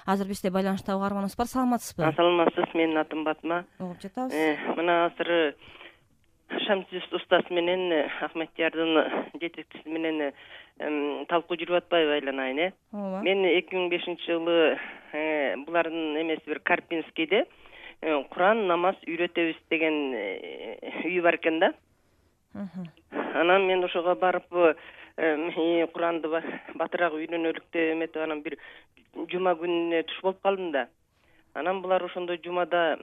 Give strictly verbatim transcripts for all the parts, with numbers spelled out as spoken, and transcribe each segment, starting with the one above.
Азыр бизде байланышта угарманыбыз бар. Саламатсызбы? Саламатсыз, менин атым Батма. Угуп жатабыз. Мына азыр Шамсиз устаз менен Ахмедиярдын жетекчиси менен талкуу жүрүп атпайбы айланайын, э? Ооба. Мен эки миң бешинчи жылы булардын эмеси бир Карпинскийде Куран намаз үйрөтөбүз деген үй бар экен да. Анан мен ошого барып Куранды батыраак үйрөнөлүк деп эметип анан бир жума күнүнө туш болуп калдым да. Анан булар ошондо жумада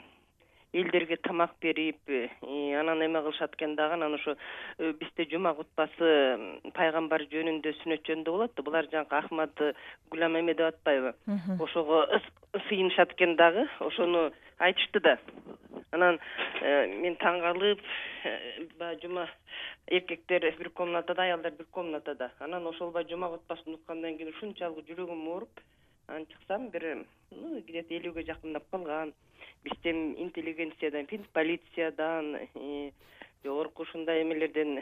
элдерге тамак берип, анан эме кылышат экен дагы. Анан ошо бизде жума кутбасы пайгамбар жөнүндө, сүннөт жөнүндө болот да. Булар жанагы Ахмад Гулам эме деп атпайбы? Ошого сыйынышат экен дагы. Ошону айтышты да. Анан мен таң калып, баягы жума эркектер бир комнатада, аялдар бир комнатада. Анан ошол баягы жума кутбасын уккандан кийин ушунчалык жүрөгүм ооруп, анан чыксам бир где-то элүүгө жакындап калган. Бизде интеллигенциядан, полициядан, жогорку ушундай эмелерден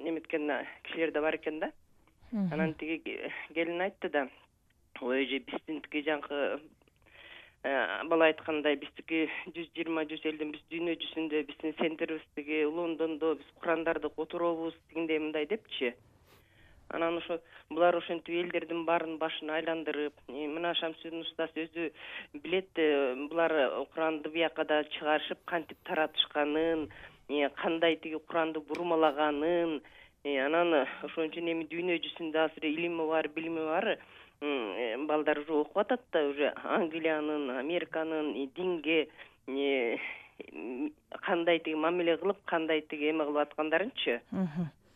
эметкен кишилер да бар экен да. Анан тиги келин айтты да, ой же биздинки жанагы бала айткандай биздики жүз жыйырма жүз элдин биз дүйнө жүзүндө биздин центрибиз тиги Лондондо биз Курандарды которобуз дегендей мындай депчи. Анан ошо булар ошентип элдердин баарын башын айландырып, мына Шамсидин устаз өзү билет, булар Куранды бияка да чыгарышып кантип таратышканын, кандай тиги Куранды бурмалаганын, анан ошон үчүн эми дүйнө жүзүндө азыр илими бар, билими бар балдар уже окуп атат да, уже Англиянын, Американын динге кандай тиги мамиле кылып, кандай тиги эме кылып аткандарынчы.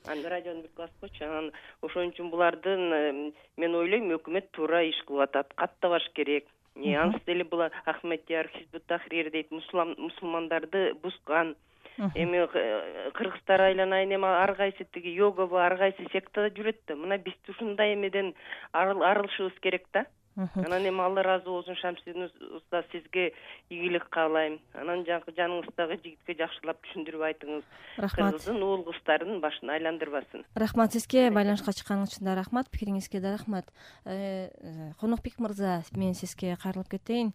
Анан радиону бир басып койчу. Анан ошон үчүн булардын мен ойлойм өкмөт туура иш кылып атат, каттабаш керек. Анысы деле булар Ахмедияр, Хизбут Тахрир дейт, мусулмандарды бузган. Эми кыргыздар айланайын, эми ар кайсы тиги йогабы, ар кайсы сектада жүрөт да. Мына биз ушундай эмеден арылышыбыз керек да. Анан эми Алла ыраазы болсун, Шамсидин устаз, сизге ийгилик каалайм. Анан жанагы жаныңыздагы жигитке жакшылап түшүндүрүп айтыңыз. Рахмат. Кыздын, уул кыздардын башын айландырбасын. Рахмат сизге, байланышка чыкканыңыз үчүн да рахмат, пикириңизге да рахмат. Конокбек мырза, мен сизге кайрылып кетейин.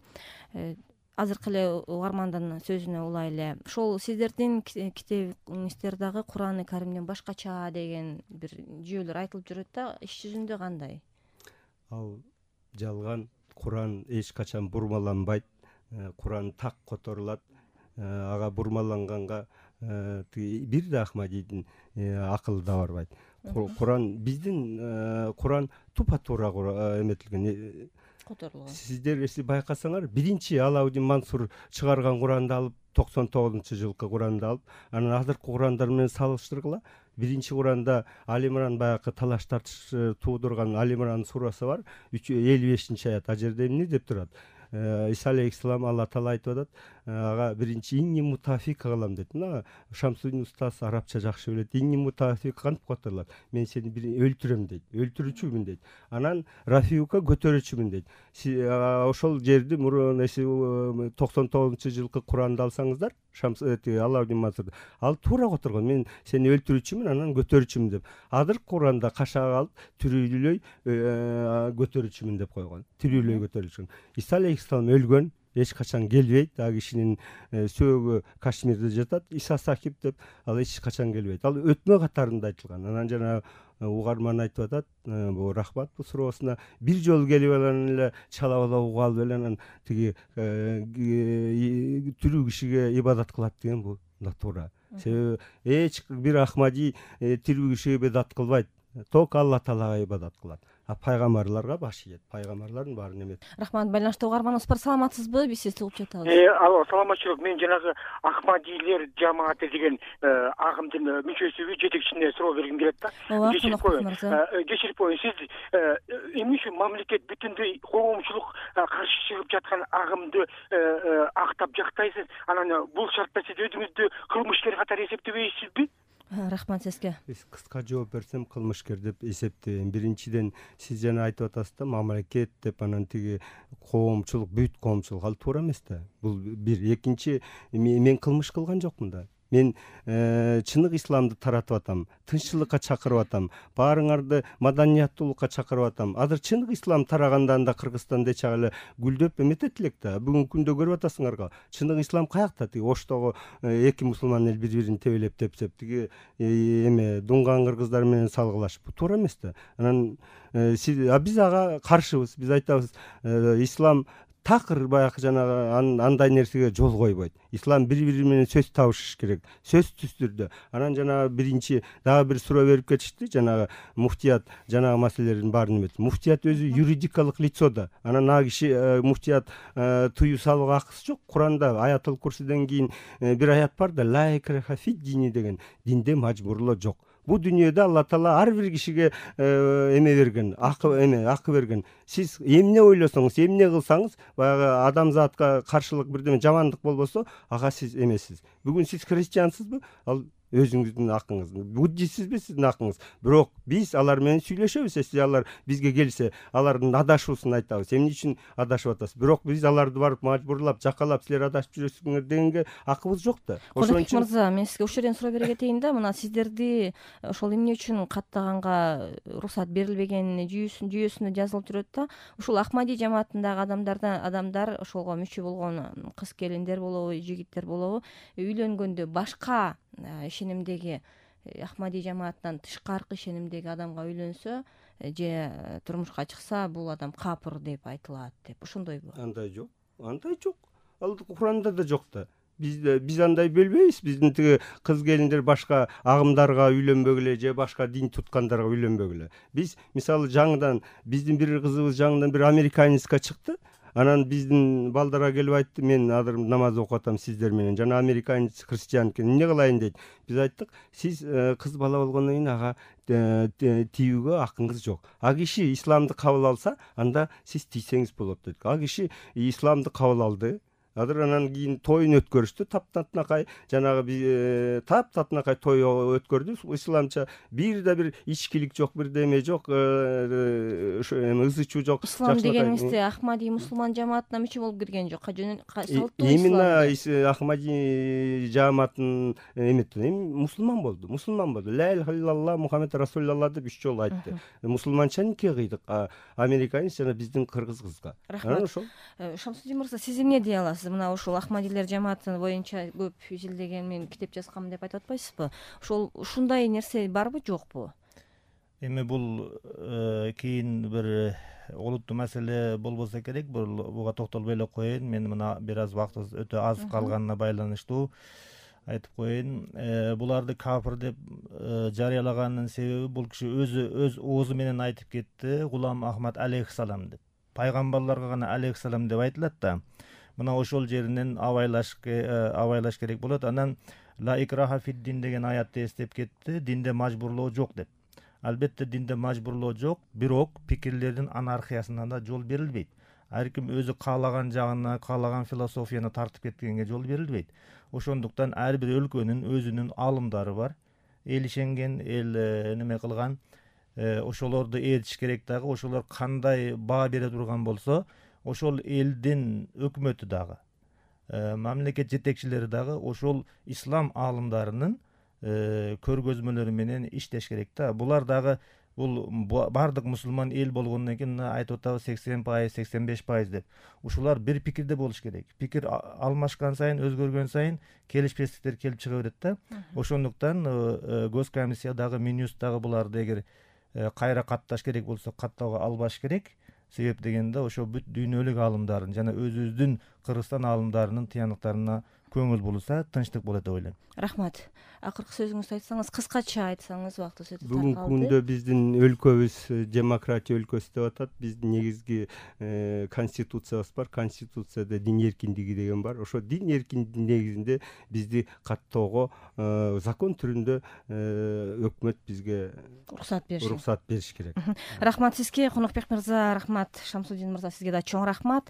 Азыркы эле угармандын сөзүнө улай эле, ошол сиздердин китебиңиздер дагы Кураны Каримден башкача деген бир жүйөлөр айтылып жүрөт да, иш жүзүндө кандай? Ал жалган. Куран эч качан бурмаланбайт. Куран так которулат. Ага бурмаланганга бир да Ахмадийдин акылы да барбайт. Куран биздин Куран тупа-туура эметилген. Которулган. Сиздер эси байкасаңар, биринчи Алаудин Мансур чыгарган Куранды алып, токсон тогузунчу жылкы Куранды алып, анан азыркы Курандар менен салыштыргыла. Биринчи Куранда Али Имран баягы талаш тартыш туудурган Али Имран сурасы бар, элүү бешинчи аят. А жерде эмне деп турат? Иса алейхиссалам Алла Таала айтып атат, ага биринчи инни мутафик кылам дейт. Мына Шамсудин устаз арабча жакшы билет. Инни мутафик кантип которулат? Мен сени бир өлтүрөм дейт. Өлтүрүүчүмүн дейт. Анан Рафиука көтөрүүчүмүн дейт. Ошол жерди мурун эси токсон тогузунчу жылкы Куранды алсаңыздар, Шамс Алаудин Мансур ал туура которгон. Мен сени өлтүрүүчүмүн, анан көтөрүүчүмүн деп. Азыркы Куранда кашак алып, тирүүлөй көтөрүүчүмүн деп койгон. Тирүүлөй көтөрүүчүмүн. Иса алейхиссалам өлгөн, эч качан келбейт. А кишинин сөөгү Кашмирде жатат, Иса Сакип деп, ал эч качан келбейт. Ал өтмө катарында айтылган. Анан жана угарман айтып атат, бул рахмат бул суроосуна, бир жолу келип анан эле чала бала угуп алып эле анан тиги тирүү кишиге ибадат кылат деген бул да туура. Себеби эч бир Ахмади тирүү кишиге ибадат кылбайт, ток Алла Таалага ибадат кылат. А пайгамбарларга баш ийет. Пайгамбарлардын баарын эметет. Рахмат, байланышта угарманыбыз бар. Саламатсызбы? Биз сизди угуп жатабыз. Алло, саламатчылык. Мен жанагы Ахмадилер жамааты деген агымдын мүчөсүбү, жетекчисине суроо бергим келет да. Ооба, мырза. Кечирип коюң, сиз эмне үчүн мамлекет бүтүндөй коомчулук каршы чыгып жаткан агымды актап жактайсыз? Анан бул шартта сиз өзүңүздү кылмышкер катары эсептебейсизби? Рахмат сизге. Биз кыска жооп берсем, кылмышкер деп эсептейм. Биринчиден, сиз жана айтып атасыз да, мамлекет деп, анан тиги коомчулук, бүт коомчулук, ал туура эмес да. Бул бир. Экинчи, мен кылмыш кылган жокмун да. мен чыныгы исламды таратып атам, тынччылыкка чакырып атам, баарыңарды маданияттуулукка чакырып атам. Азыр чыныгы ислам тараганда анда Кыргызстанда эч эле гүлдөп эметет элек да. Бүгүнкү күндө көрүп атасыңарга, чыныгы ислам каякта? Тиги Оштогу эки мусулман эл бири-бирин тебелеп тепсеп, тиги эме дунган кыргыздар менен салгылашып, бул туура эмес да. Анан а биз ага каршыбыз. Биз айтабыз, ислам такыр баягы жанагы андай нерсеге жол койбойт. Ислам бири-бири менен сөз табышыш керек, сөзсүз түрдө. Анан жанагы биринчи дагы бир суроо берип кетишти, жанагы муфтият жанагы маселелердин баарын эметти. Муфтият өзү юридикалык лицо да. Анан ага киши муфтият тыюу салууга акысы жок. Куранда Аятыл Курсиден кийин бир аят бар да, ла икраха фид дини деген, динде мажбурлоо жок. Бул дүйнөдө Алла Таала ар бир кишиге эме берген, акы эме акы берген. Сиз эмне ойлосоңуз, эмне кылсаңыз, баягы адамзатка каршылык бирдеме жамандык болбосо, ага сиз эмесиз. Бүгүн сиз христиансызбы? Ал өзүңүздүн акыңыз. Буддистсизби? Сиздин акыңыз. Бирок биз алар менен сүйлөшөбүз. Эсли алар бизге келсе, алардын адашуусун айтабыз. Эмне үчүн адашып атасыз? Бирок биз аларды барып мажбурлап, жакалап, силер адашып жүрөсүңөр дегенге акыбыз жок да. Ошон үчүн мырза, мен сизге ушул жерден суроо бере кетейин да. Мына сиздерди ошол эмне үчүн каттаганга уруксат берилбегени жүйөсүн жүйөсүндө жазылып жүрөт да. Ушул Ахмади жамаатындагы адамдардан адамдар ошолго мүчө болгон кыз келиндер болобу, жигиттер болобу, үйлөнгөндө башка ишенимдеги Ахмади жамаатынан тышкаркы ишенимдеги адамга үйлөнсө же турмушка чыкса, бул адам капыр деп айтылат деп. Ошондойбу? Андай жок. Андай жок. Ал Куранда да жок да. Биз биз андай бөлбөйбүз. Биздин тиги кыз келиндер башка агымдарга үйлөнбөгүлө же башка дин туткандарга үйлөнбөгүлө. Биз мисалы жаңыдан биздин бир кызыбыз жаңыдан бир американецке чыкты. Анан биздин балдарга келип айтты, мен азыр намаз окуп атам сиздер менен. Жана американец христиан экен. Эмне кылайын дейт. Биз айттык, сиз кыз бала болгондон кийин ага тийүүгө акыңыз жок. А киши исламды кабыл алса, анда сиз тийсеңиз болот дедик. А киши исламды кабыл алды. Азыр анан кийин тоюн өткөрүштү, таптатынакай жанагы таптатынакай той өткөрдү. Исламча бир да бир ичкилик жок, бир деме жок, ошо эме ызы чуу жок. Ислам дегенибизде Ахмади мусулман жамаатына мүчө болуп кирген жок. Салттуу именно Ахмади жамаатын эметти, мусулман болду, мусулман болду. Ла иляха иллаллах Мухаммед расулуллах деп үч жолу айтты. Мусулманча нике кыйдык, американец жана биздин кыргыз кызга. Анан ошол. Шамсудин мырза, сиз эмне дей аласыз? Мына ушул Ахмадилер жамааты боюнча көп изилдеген, мен китеп жазгам деп айтып атпайсызбы? Ошол ушундай нерсе барбы, жокпу? Эми бул кийин бир олуттуу маселе болбосо керек. Буга токтолбой эле коеюн. Мен мына бир аз убактыбыз өтө аз калганына байланыштуу айтып коеюн. Буларды кафир деп жарыялаганынын себеби, бул киши өзү өз оозу менен айтып кетти, Гулам Ахмад алейхиссалам деп. Пайгамбарларга гана алейхиссалам деп айтылат да. Мына ошол жеринен абайлаш абайлаш керек болот. Анан ла икраха фид дин деген аятты эстеп кетти. Динде мажбурлоо жок деп. Албетте динде мажбурлоо жок, бирок пикирлердин анархиясына да жол берилбейт. Ар ким өзү каалаган жагына, каалаган философияны тартып кеткенге жол берилбейт. Ошондуктан ар бир өлкөнүн өзүнүн аалымдары бар. Эл ишенген, эл неме кылган, ошолорду ээрчиш керек дагы. Ошолор кандай баа бере турган болсо, ошол элдин өкмөтү дагы, мамлекет жетекчилери дагы ошол ислам аалымдарынын көргөзмөлөрү менен иштеш керек да. Булар дагы бул бардык мусулман эл болгондон кийин айтып атабыз сексен пайыз, сексен беш пайыз деп. Ушулар бир пикирде болуш керек. Пикир алмашкан сайын, өзгөргөн сайын келишпестиктер келип чыга берет да. Ошондуктан Госкомиссия дагы, Минюст дагы буларды эгер кайра катташ керек болсо каттоого албаш керек. Себеп дегенде ошо бүт дүйнөлүк аалымдардын жана өзүбүздүн Кыргызстан аалымдарынын тыянактарына көңүл бурулса, тынчтык болот деп ойлойм. Рахмат. Акыркы сөзүңүздү айтсаңыз, кыскача айтсаңыз, убактыбыз өтө бүгүнкү күндө биздин өлкөбүз демократия өлкөсү деп атат. Биздин негизги конституциябыз бар. Конституцияда дин эркиндиги деген бар. Ошо дин эркиндигинин негизинде бизди каттоого закон түрүндө өкмөт бизге уруксат бериш уруксат бериш керек. Рахмат сизге, Конокбек мырза, рахмат Шамсудин мырза, сизге да чоң рахмат.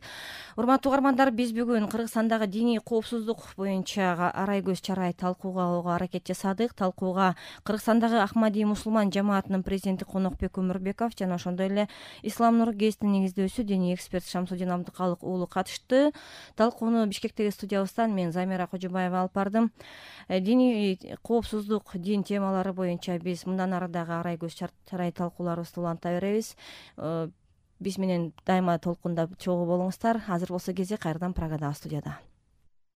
Урматтуу угармандар, биз бүгүн Кыргызстандагы диний коопсуздук боюнча арай көз чарай талкууга аракет жасадык. Талкууга Кыргызстандагы Ахмади мусулман жамаатынын президенти Конокбек Өмүрбеков жана ошондой эле Ислам Нур гезитинин негиздөөчүсү диний эксперт Шамсудин Абдыкалык уулу катышты. Талкууну Бишкектеги студиябыздан мен Замира Кожобаева алып бардым. Диний коопсуздук, дин темалары боюнча биз мындан ары дагы арай көз чарай талкууларыбызды уланта беребиз. Биз менен дайыма толкунда чогуу болуңуздар. Азыр болсо кезек кайрадан Прагадагы студияда.